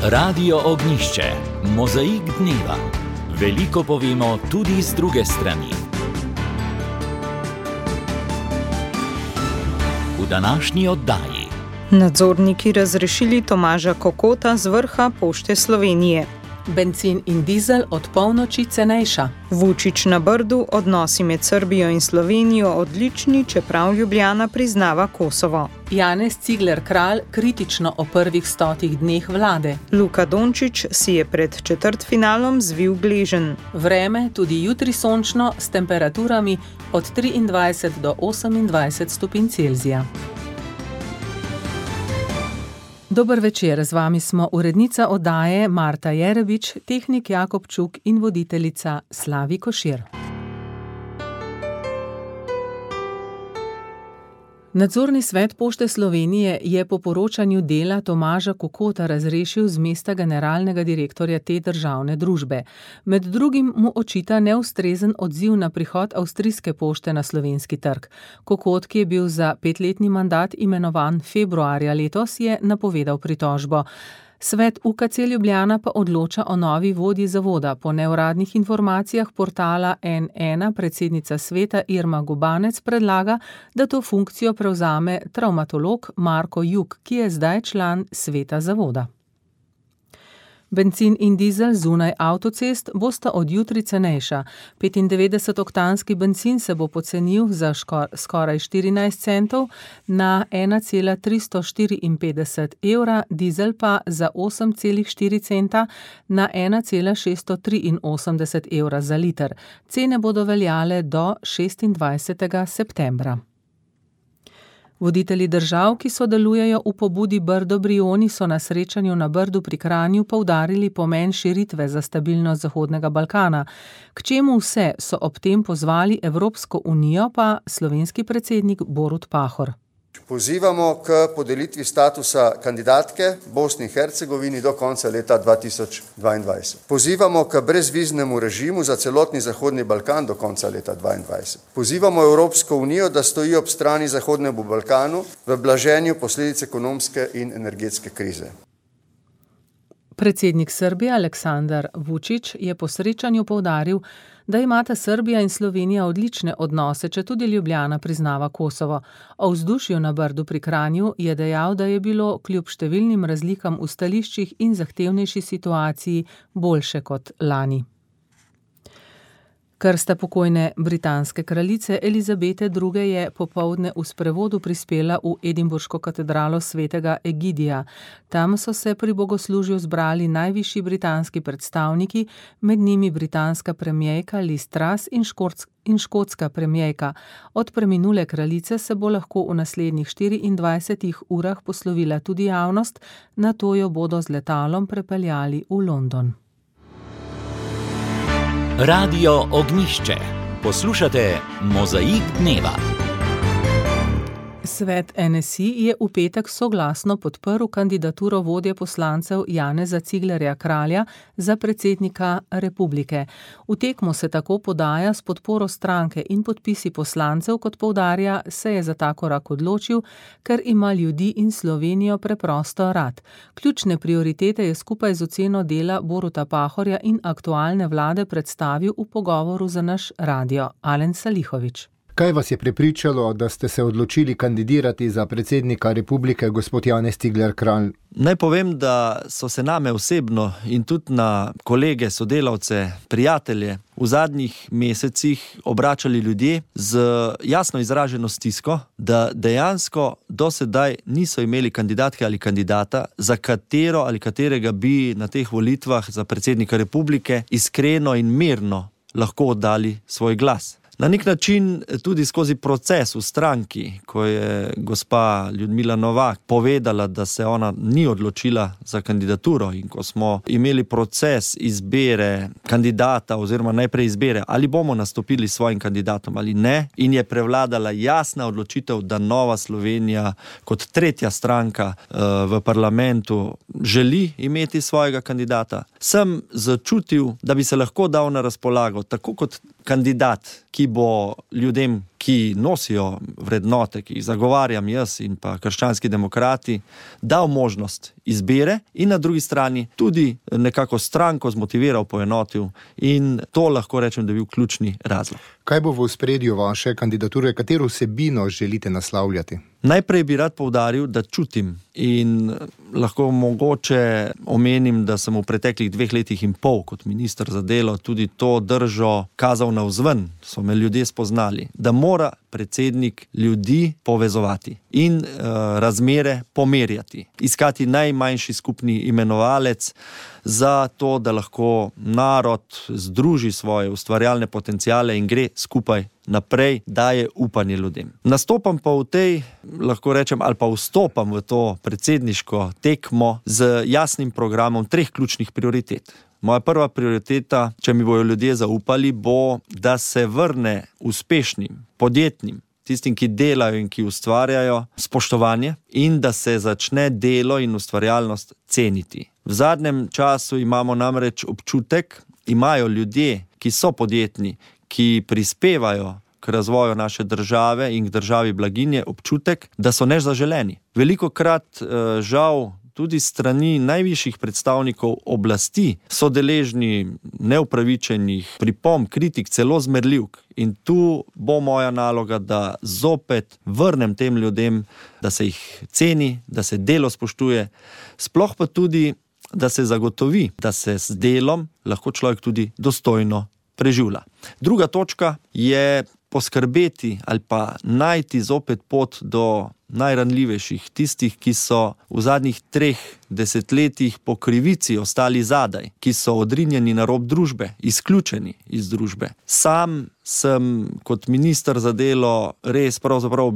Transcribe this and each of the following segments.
Radio Ognjišče, mozaik dneva. Veliko povemo tudi z druge strani. V današnji oddaji. Nadzorniki razrešili Tomaža Kokota z vrha Pošte Slovenije. Bencin in dizel od polnoči cenejša. Vučić na Brdu, odnosi med Srbijo in Slovenijo odlični, čeprav Ljubljana priznava Kosovo. Janez Cigler Kralj kritično o prvih 100 dneh vlade. Luka Dončić si je pred četrtfinalom zvil gleženj. Vreme tudi jutri sončno s temperaturami od 23 do 28 stopinj Celzija. Dober večer, z vami smo urednica oddaje Marta Jerebič, tehnik Jakob Čuk in voditeljica Slavi Košir. Nadzorni svet Pošte Slovenije je po poročanju Dela Tomaža Kokota razrešil z mesta generalnega direktorja te državne družbe. Med drugim mu očita neustrezen odziv na prihod avstrijske pošte na slovenski trg. Kokot, ki je bil za 5-letni mandat imenovan februarja letos, je napovedal pritožbo. Svet UKC Ljubljana pa odloča o novi vodji zavoda. Po neuradnih informacijah portala N1 predsednica sveta Irma Gubanec predlaga, da to funkcijo prevzame travmatolog Marko Juk, ki je zdaj član sveta zavoda. Bencin in dizel zunaj avtocest bosta od jutri cenejša. 95-oktanski bencin se bo pocenil za skoraj 14 centov na 1,354 evra, dizel pa za 8,4 centa na 1,683 evra za liter. Cene bodo veljale do 26. septembra. Voditelji držav, ki sodelujejo v pobudi Brdo Brioni, so na srečanju na Brdu pri Kranju poudarili pomen širitve za stabilnost Zahodnega Balkana. K čemu vse so ob tem pozvali Evropsko unijo, pa slovenski predsednik Borut Pahor. Pozivamo k podelitvi statusa kandidatke Bosni in Hercegovini do konca leta 2022. Pozivamo k brezviznemu režimu za celotni Zahodni Balkan do konca leta 2022. Pozivamo Evropsko unijo, da stoji ob strani Zahodnemu Balkanu v blaženju posledic ekonomske in energetske krize. Predsednik Srbije Aleksandar Vučić je po srečanju poudaril, da imata Srbija in Slovenija odlične odnose, če tudi Ljubljana priznava Kosovo. O vzdušju na Brdu pri Kranju je dejal, da je bilo kljub številnim razlikam v stališčih in zahtevnejši situaciji boljše kot lani. Krsta pokojne britanske kraljice Elizabete II. Je popoldne v sprevodu prispela v Edinburško katedralo svetega Egidija. Tam so se pri bogoslužju zbrali najvišji britanski predstavniki, med njimi britanska premierka Liz Truss in škotska premierka. Od preminule kraljice se bo lahko v naslednjih 24 urah poslovila tudi javnost, nato jo bodo z letalom prepeljali v London. Radio Ognjišče. Poslušate mozaik dneva. Svet NSI je v petek soglasno podprl kandidaturo vodje poslancev Janeza Ciglerja Kralja za predsednika republike. V tekmo se tako podaja s podporo stranke in podpisi poslancev, kot poudarja, se je za ta korak odločil, ker ima ljudi in Slovenijo preprosto rad. Ključne prioritete je skupaj z oceno dela Boruta Pahorja in aktualne vlade predstavil v pogovoru za naš radio Alen Salihović. Kaj vas je prepričalo, da ste se odločili kandidirati za predsednika republike, gospod Janez Cigler Kralj? Naj povem, da so se name osebno in tudi na kolege, sodelavce, prijatelje v zadnjih mesecih obračali ljudje z jasno izraženo stisko, da dejansko do sedaj niso imeli kandidatke ali kandidata, za katero ali katerega bi na teh volitvah za predsednika republike iskreno in mirno lahko oddali svoj glas. Na nek način tudi skozi proces v stranki, ko je gospa Ljudmila Novak povedala, da se ona ni odločila za kandidaturo, in ko smo imeli proces izbire kandidata oziroma najprej izbire, ali bomo nastopili s svojim kandidatom ali ne, in je prevladala jasna odločitev, da Nova Slovenija kot tretja stranka v parlamentu želi imeti svojega kandidata, sem začutil, da bi se lahko dal na razpolago tako kot kandidat, ki bo ljudem, ki nosijo vrednote, ki jih zagovarjam jaz in pa krščanski demokrati, dal možnost izbire in na drugi strani tudi nekako stranko zmotiviral, poenotil in to lahko rečem, da je bil ključni razlog. Kaj bo v ospredju vaše kandidature, katero vsebino želite naslavljati? Najprej bi rad poudaril, da čutim in lahko mogoče omenim, da sem v preteklih 2 letih in pol kot minister za delo tudi to držo kazal navzven, so me ljudje spoznali, da mora predsednik ljudi povezovati in razmere pomerjati, iskati najmanjši skupni imenovalec za to, da lahko narod združi svoje ustvarjalne potenciale in gre skupaj naprej, daje upanje ljudem. Nastopam pa v tej, lahko rečem, ali pa vstopam v to predsedniško tekmo z jasnim programom 3 ključnih prioritet. Moja prva prioriteta, če mi bojo ljudje zaupali, bo, da se vrne uspešnim, podjetnim, tistim, ki delajo in ki ustvarjajo, spoštovanje in da se začne delo in ustvarjalnost ceniti. V zadnjem času imamo namreč občutek, imajo ljudje, ki so podjetni, ki prispevajo k razvoju naše države in k državi blaginje, občutek, da so nezaželeni. Velikokrat žal tudi strani najvišjih predstavnikov oblasti so deležni neupravičenih pripomb, kritik, celo zmerljivk. In tu bo moja naloga, da zopet vrnem tem ljudem, da se jih ceni, da se delo spoštuje, sploh pa tudi, da se zagotovi, da se s delom lahko človek tudi dostojno preživlja. Druga točka je poskrbeti ali pa najti zopet pot do najranljivejših, tistih, ki so v zadnjih 3 desetletjih po krivici ostali zadaj, ki so odrinjeni na rob družbe, izključeni iz družbe. Sam sem kot minister za delo res pravzaprav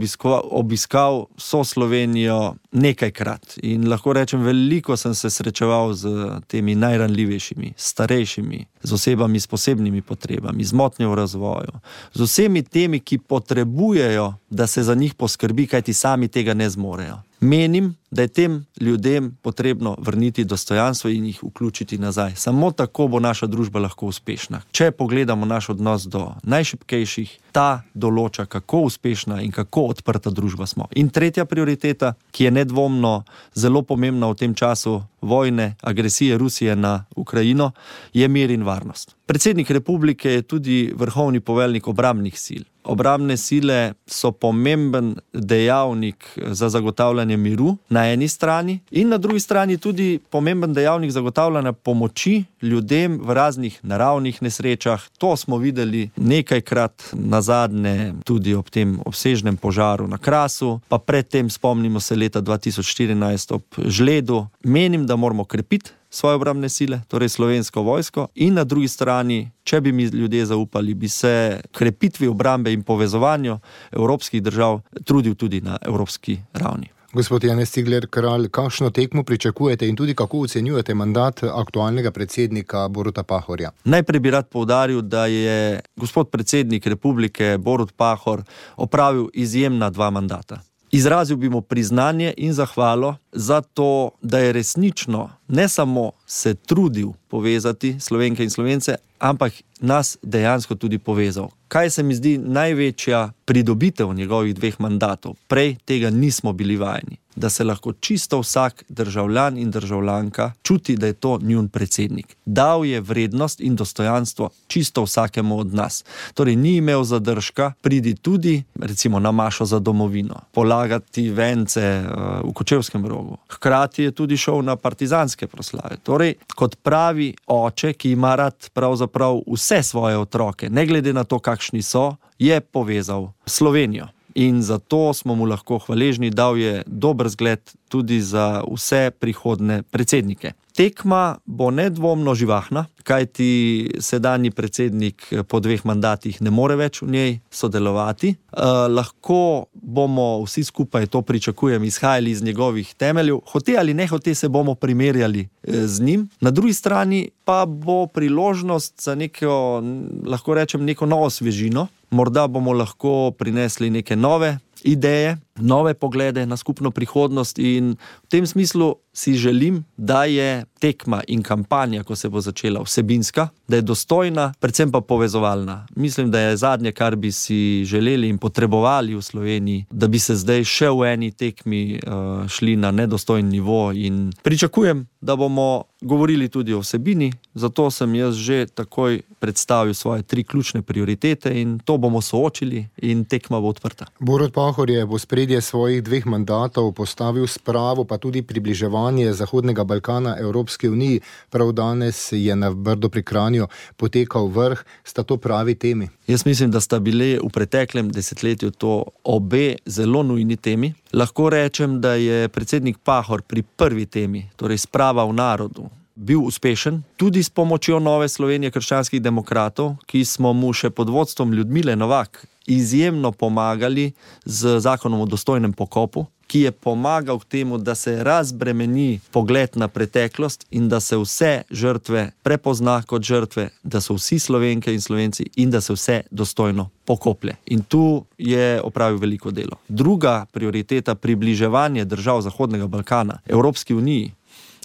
obiskal vso Slovenijo nekajkrat in lahko rečem, veliko sem se srečeval z temi najranljivejšimi, starejšimi, z osebami s posebnimi potrebami, z motnjo v razvoju, z vsemi temi, ki potrebujejo, da se za njih poskrbi, kajti sami tega ne zmorejo. Menim, da je tem ljudem potrebno vrniti dostojanstvo in jih vključiti nazaj. Samo tako bo naša družba lahko uspešna. Če pogledamo naš odnos do najšibkejših, ta določa, kako uspešna in kako odprta družba smo. In tretja prioriteta, ki je nedvomno zelo pomembna v tem času vojne, agresije Rusije na Ukrajino, je mir in varnost. Predsednik republike je tudi vrhovni poveljnik obrambnih sil. Obrambne sile so pomemben dejavnik za zagotavljanje miru na eni strani in na drugi strani tudi pomemben dejavnik zagotavljanja pomoči ljudem v raznih naravnih nesrečah. To smo videli nekajkrat nazadnje tudi ob tem obsežnem požaru na Krasu, pa predtem spomnimo se leta 2014 ob žledu. Menim, da moramo krepiti svoje obrambne sile, torej Slovensko vojsko, in na drugi strani, če bi mi ljudje zaupali, bi se krepitvi obrambe in povezovanju evropskih držav trudil tudi na evropski ravni. Gospod Janez Cigler Kralj, kakšno tekmo pričakujete in tudi kako ocenjujete mandat aktualnega predsednika Boruta Pahorja? Najprej bi rad poudaril, da je gospod predsednik republike Borut Pahor opravil izjemna 2 mandata. Izrazil bi mu priznanje in zahvalo za to, da je resnično ne samo se trudil povezati Slovenke in Slovence, ampak nas dejansko tudi povezal. Kaj se mi zdi največja pridobitev njegovih 2 mandatov? Prej tega nismo bili vajeni. Da se lahko čisto vsak državljan in državljanka čuti, da je to njun predsednik. Dal je vrednost in dostojanstvo čisto vsakemu od nas. Torej ni imel zadržka, pridi tudi recimo na mašo za domovino, polagati vence v Kočevskem Rogu. Hkrati je tudi šel na partizanske proslave. Torej, kot pravi oče, ki ima rad pravzaprav vse svoje otroke, ne glede na to, kakšni so, je povezal Slovenijo. In zato smo mu lahko hvaležni, dal je dober zgled tudi za vse prihodne predsednike. Tekma bo nedvomno živahna, kajti sedanji predsednik po 2 mandatih ne more več v njej sodelovati. Lahko bomo vsi skupaj, to pričakujem, izhajali iz njegovih temeljev, hote ali ne hote se bomo primerjali z njim. Na drugi strani pa bo priložnost za neko, lahko rečem, neko novo svežino. Morda bomo lahko prinesli neke nove ideje, nove poglede na skupno prihodnost in v tem smislu si želim, da je tekma in kampanja, ko se bo začela, vsebinska, da je dostojna, predvsem pa povezovalna. Mislim, da je zadnje, kar bi si želeli in potrebovali v Sloveniji, da bi se zdaj še v eni tekmi šli na nedostojni nivo in pričakujem, da bomo govorili tudi o vsebini, zato sem jaz že takoj predstavil svoje 3 ključne prioritete in to bomo soočili in tekma bo odprta. Borut Pahor je v ospredje svojih 2 mandatov postavil spravo, pa tudi približevanje Zahodnega Balkana Evropske uniji. Prav danes je na Brdu pri Kranju potekal vrh. Sta to pravi temi? Jaz mislim, da sta bile v preteklem desetletju to obe zelo nujni temi. Lahko rečem, da je predsednik Pahor pri prvi temi, torej sprava v narodu, bil uspešen, tudi s pomočjo Nove Slovenije krščanskih demokratov, ki smo mu še pod vodstvom Ljudmile Novak izjemno pomagali z zakonom o dostojnem pokopu, ki je pomagal k temu, da se razbremeni pogled na preteklost in da se vse žrtve prepozna kot žrtve, da so vsi Slovenke in Slovenci in da se vse dostojno pokoplje. In tu je opravil veliko delo. Druga prioriteta, približevanje držav Zahodnega Balkana Evropski uniji,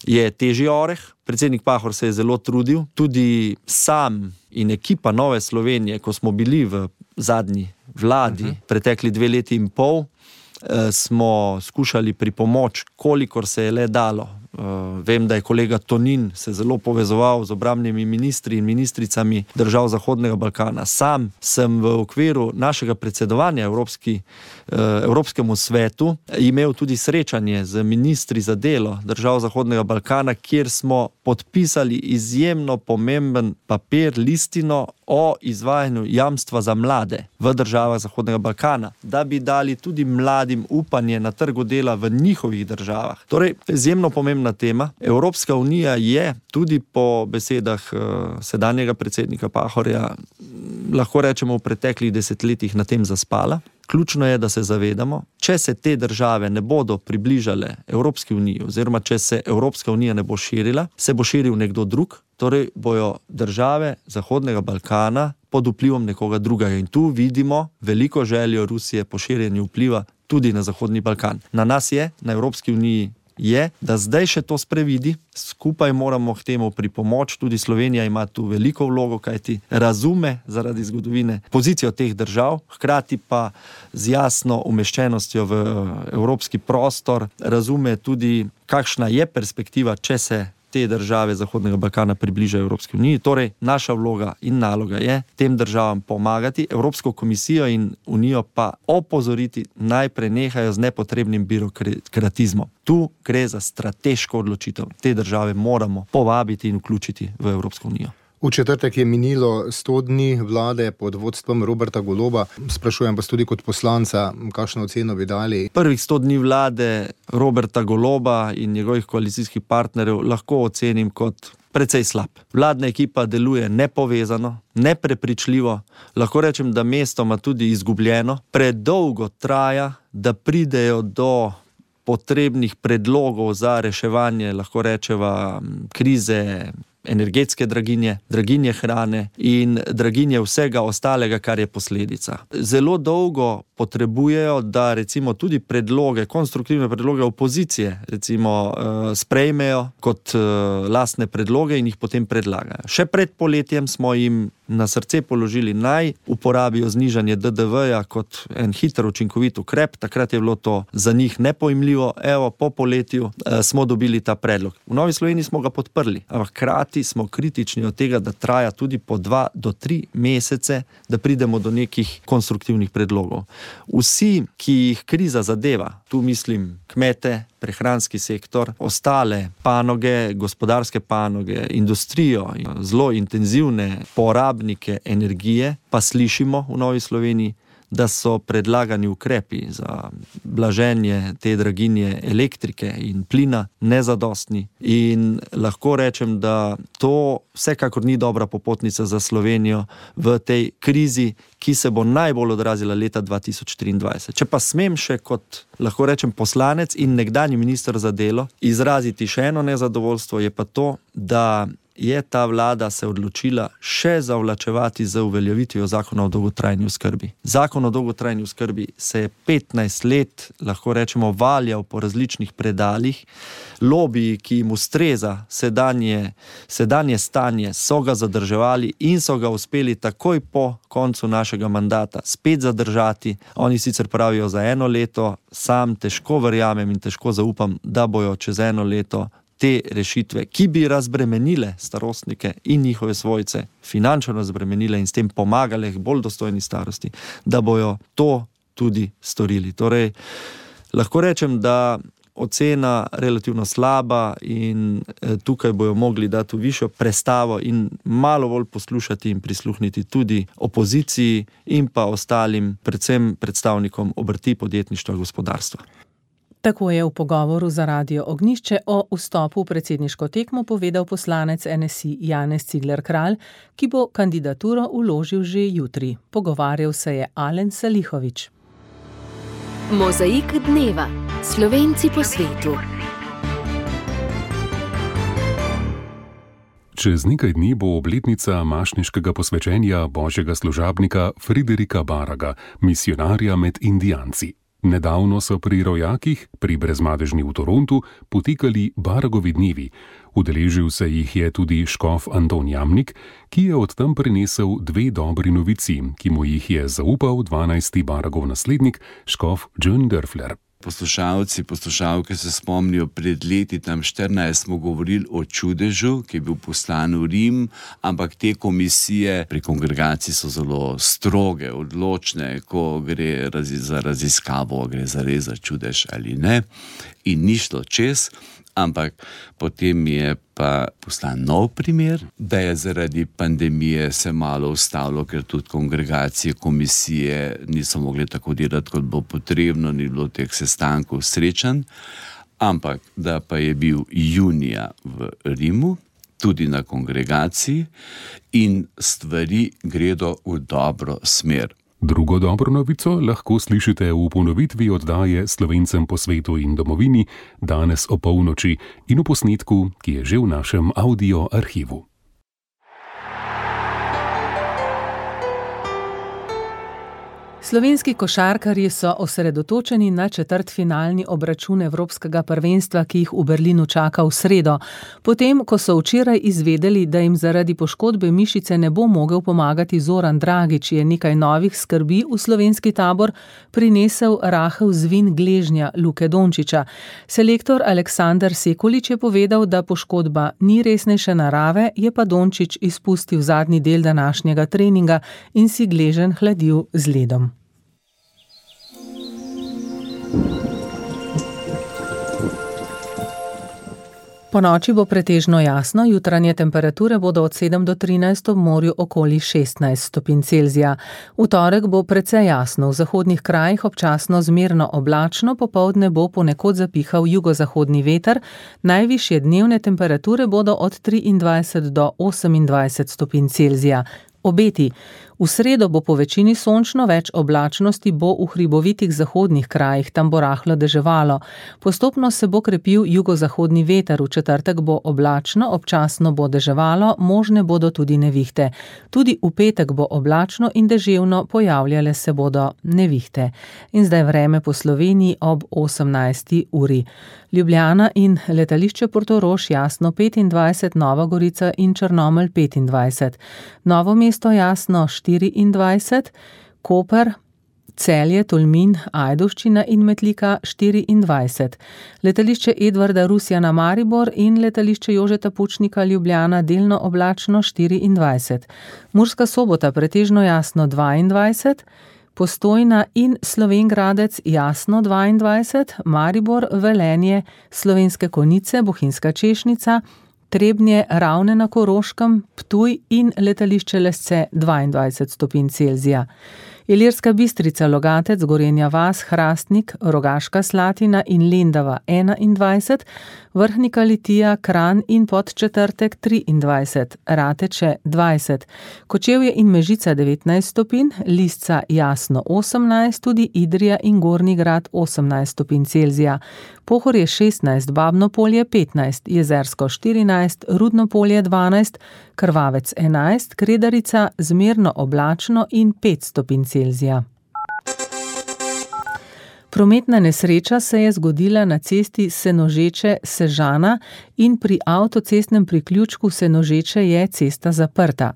je težji oreh. Predsednik Pahor se je zelo trudil, tudi sam in ekipa Nove Slovenije, ko smo bili v zadnji vladi, pretekli 2 leti in pol, smo skušali pripomoč, kolikor se je le dalo. Vem, da je kolega Tonin se zelo povezoval z obrambnimi ministri in ministricami držav Zahodnega Balkana. Sam sem v okviru našega predsedovanja Evropskemu svetu imel tudi srečanje z ministri za delo držav Zahodnega Balkana, kjer smo podpisali izjemno pomemben papir, listino o izvajanju jamstva za mlade v državah Zahodnega Balkana, da bi dali tudi mladim upanje na trgu dela v njihovih državah. Torej, izjemno pomembna tema. Evropska unija je tudi po besedah sedanjega predsednika Pahorja, lahko rečemo, v preteklih desetletjih na tem zaspala. Ključno je, da se zavedamo, če se te države ne bodo približale Evropski uniji, oziroma če se Evropska unija ne bo širila, se bo širil nekdo drug, torej bojo države Zahodnega Balkana pod vplivom nekoga drugega. In tu vidimo veliko željo Rusije po širjenju vpliva tudi na Zahodni Balkan. Na nas je, na Evropski uniji je, da zdaj še to sprevidi, skupaj moramo k temu pripomoč, tudi Slovenija ima tu veliko vlogo, kajti razume zaradi zgodovine pozicijo teh držav, hkrati pa z jasno umeščenostjo v evropski prostor razume tudi, kakšna je perspektiva, če se te države Zahodnega Balkana približajo Evropski uniji. Torej, naša vloga in naloga je tem državam pomagati, Evropsko komisijo in unijo pa opozoriti, naj prenehajo z nepotrebnim birokratizmom. Tu gre za strateško odločitev. Te države moramo povabiti in vključiti v Evropsko unijo. V četrtek je minilo 100 dni vlade pod vodstvom Roberta Goloba. Sprašujem vas tudi kot poslanca, kakšno oceno bi dali? Prvih 100 dni vlade Roberta Goloba in njegovih koalicijskih partnerjev lahko ocenim kot precej slab. Vladna ekipa deluje nepovezano, neprepričljivo, lahko rečem, da mestoma tudi izgubljeno. Predolgo traja, da pridejo do potrebnih predlogov za reševanje, lahko rečeva, krize energetske draginje, draginje hrane in draginje vsega ostalega, kar je posledica. Zelo dolgo potrebujejo, da recimo tudi predloge, konstruktivne predloge opozicije, recimo sprejmejo kot lastne predloge in jih potem predlagajo. Še pred poletjem smo jim na srce položili, naj uporabijo znižanje DDV-ja kot en hiter učinkovit ukrep. Takrat je bilo to za njih nepojmljivo. Evo, po poletju smo dobili ta predlog. V Novi Sloveniji smo ga podprli, ampak hkrati smo kritični od tega, da traja tudi po 2 do 3 mesece, da pridemo do nekih konstruktivnih predlogov. Vsi, ki jih kriza zadeva, tu mislim kmete, prehranski sektor, ostale panoge, gospodarske panoge, industrijo, zelo intenzivne porabnike energije, pa slišimo v Novi Sloveniji, da so predlagani ukrepi za blaženje te draginje elektrike in plina nezadostni. In lahko rečem, da to vsekakor ni dobra popotnica za Slovenijo v tej krizi, ki se bo najbolj odrazila leta 2023. Če pa smem še kot, lahko rečem, poslanec in nekdanji minister za delo izraziti še eno nezadovoljstvo, je pa to, da je ta vlada se odločila še zavlačevati z uveljavitvijo zakona o dolgotrajni oskrbi. Zakon o dolgotrajni oskrbi se je 15 let, lahko rečemo, valjal po različnih predaljih. Lobiji, ki jim ustreza sedanje stanje, so ga zadrževali in so ga uspeli takoj po koncu našega mandata spet zadržati. Oni sicer pravijo za 1 leto, sam težko verjamem in težko zaupam, da bojo čez 1 leto te rešitve, ki bi razbremenile starostnike in njihove svojce, finančno razbremenile in s tem pomagale k bolj dostojni starosti, da bojo to tudi storili. Torej, lahko rečem, da ocena relativno slaba in tukaj bojo mogli dati višjo prestavo in malo bolj poslušati in prisluhniti tudi opoziciji in pa ostalim, predvsem predstavnikom obrti, podjetništva, gospodarstva. Tako je v pogovoru za Radio Ognjišče o vstopu v predsedniško tekmo povedal poslanec NSI Janez Cigler Kralj, ki bo kandidaturo vložil že jutri. Pogovarjal se je Alen Salihović. Mozaik dneva. Slovenci po svetu. Čez nekaj dni bo obletnica mašniškega posvečenja božjega služabnika Friderika Baraga, misionarja med Indijanci. Nedavno so pri rojakih, pri Brezmadežni v Torontu, potekali Baragovi dnevi. Udeležil se jih je tudi škof Anton Jamnik, ki je od tam prinesel 2 dobri novici, ki mu jih je zaupal 12. Baragov naslednik, škof John Dörfler. Poslušalci, poslušalke se spomnijo, pred leti, tam 14, smo govorili o čudežu, ki je bil poslan v Rim, ampak te komisije pri kongregaciji so zelo stroge, odločne, ko gre za raziskavo, gre za res za čudež ali ne. In ni šlo čez, ampak potem je pa poslan nov primer, da je zaradi pandemije se malo ustavilo, ker tudi kongregacije, komisije niso mogli tako delati, kot bo potrebno, ni bilo teh sestankov, srečanj, ampak da pa je bil junija v Rimu, tudi na kongregaciji, in stvari gredo v dobro smer. Drugo dobro novico lahko slišite v ponovitvi oddaje Slovencem po svetu in domovini danes o polnoči in v posnetku, ki je že v našem audio arhivu. Slovenski košarkarji so osredotočeni na četrtfinalni obračun Evropskega prvenstva, ki jih v Berlinu čaka v sredo. Potem, ko so včeraj izvedeli, da jim zaradi poškodbe mišice ne bo mogel pomagati Zoran Dragić, je nekaj novih skrbi v slovenski tabor prinesel rahel zvin gležnja Luke Dončića. Selektor Aleksander Sekulić je povedal, da poškodba ni resnejše narave, je pa Dončić izpustil zadnji del današnjega treninga in si gleženj hladil z ledom. Ponoči bo pretežno jasno, jutranje temperature bodo od 7 do 13, ob morju okoli 16 stopinj Celzija. V torek bo precej jasno, v zahodnih krajih občasno zmerno oblačno, popoldne bo ponekod zapihal jugozahodni veter, najvišje dnevne temperature bodo od 23 do 28 stopinj Celzija. Obeti. V sredo bo po večini sončno, več oblačnosti bo v hribovitih zahodnih krajih, tam bo rahlo deževalo. Postopno se bo krepil jugozahodni veter, v četrtek bo oblačno, občasno bo deževalo, možne bodo tudi nevihte. Tudi v petek bo oblačno in deževno, pojavljale se bodo nevihte. In zdaj vreme po Sloveniji ob 18. uri. Ljubljana in letališče Portorož jasno 25, Nova Gorica in Črnomelj 25. Novo mesto jasno 24, Koper, Celje, Tolmin, Ajdovščina in Metlika 24. Letališče Edvarda Rusjana Maribor in letališče Jožeta Pučnika Ljubljana delno oblačno 24. Murska Sobota pretežno jasno 22, Postojna in Slovenj Gradec jasno 22, Maribor, Velenje, Slovenske Konjice, Bohinjska Češnica, Trebnje, Ravne na Koroškem, Ptuj in letališče Lesce 22 stopinj Celzija. Ilirska Bistrica, Logatec, Gorenja vas, Hrastnik, Rogaška Slatina in Lendava 21, Vrhnika Litija, Kranj in Podčetrtek 23, Rateče 20, Kočevje in Mežica 19 stopinj, Lisca jasno 18, tudi Idrija in Gornji Grad 18 stopinj Celzija. Pohorje 16, Babno polje 15, Jezersko 14, Rudno polje 12, Krvavec 11, Kredarica zmerno oblačno in 5 stopinj Celzija. Prometna nesreča se je zgodila na cesti Senožeče-Sežana in pri avtocestnem priključku Senožeče je cesta zaprta.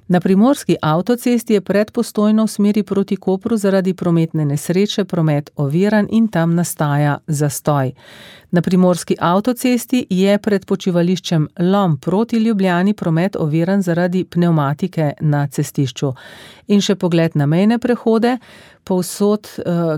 Na primorski avtocesti je pred Postojno v smeri proti Kopru zaradi prometne nesreče promet oviran in tam nastaja zastoj. Na primorski avtocesti je pred počivališčem Lom proti Ljubljani promet oviran zaradi pnevmatike na cestišču. In še pogled na mejne prehode. Povsod,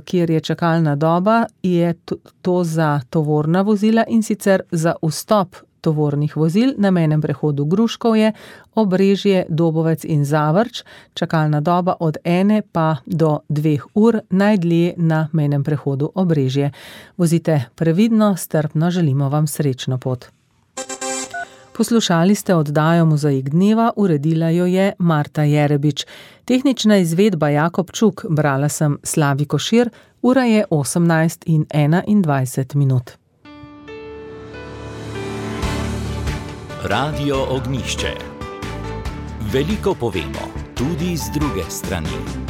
kjer je čakalna doba, je to za tovorna vozila in sicer za vstop tovornih vozil na mejnem prehodu Gruškovje, Obrežje, Dobovec in Zavrč, čakalna doba od 1 pa do 2 ur, najdlje na mejnem prehodu Obrežje. Vozite previdno, strpno, želimo vam srečno pot. Poslušali ste oddajo Mozaik dneva, uredila jo je Marta Jerebič. Tehnična izvedba Jakob Čuk, brala sem Slavi Košir, ura je 18:21. Radio Ognjišče. Veliko povemo, tudi z druge strani.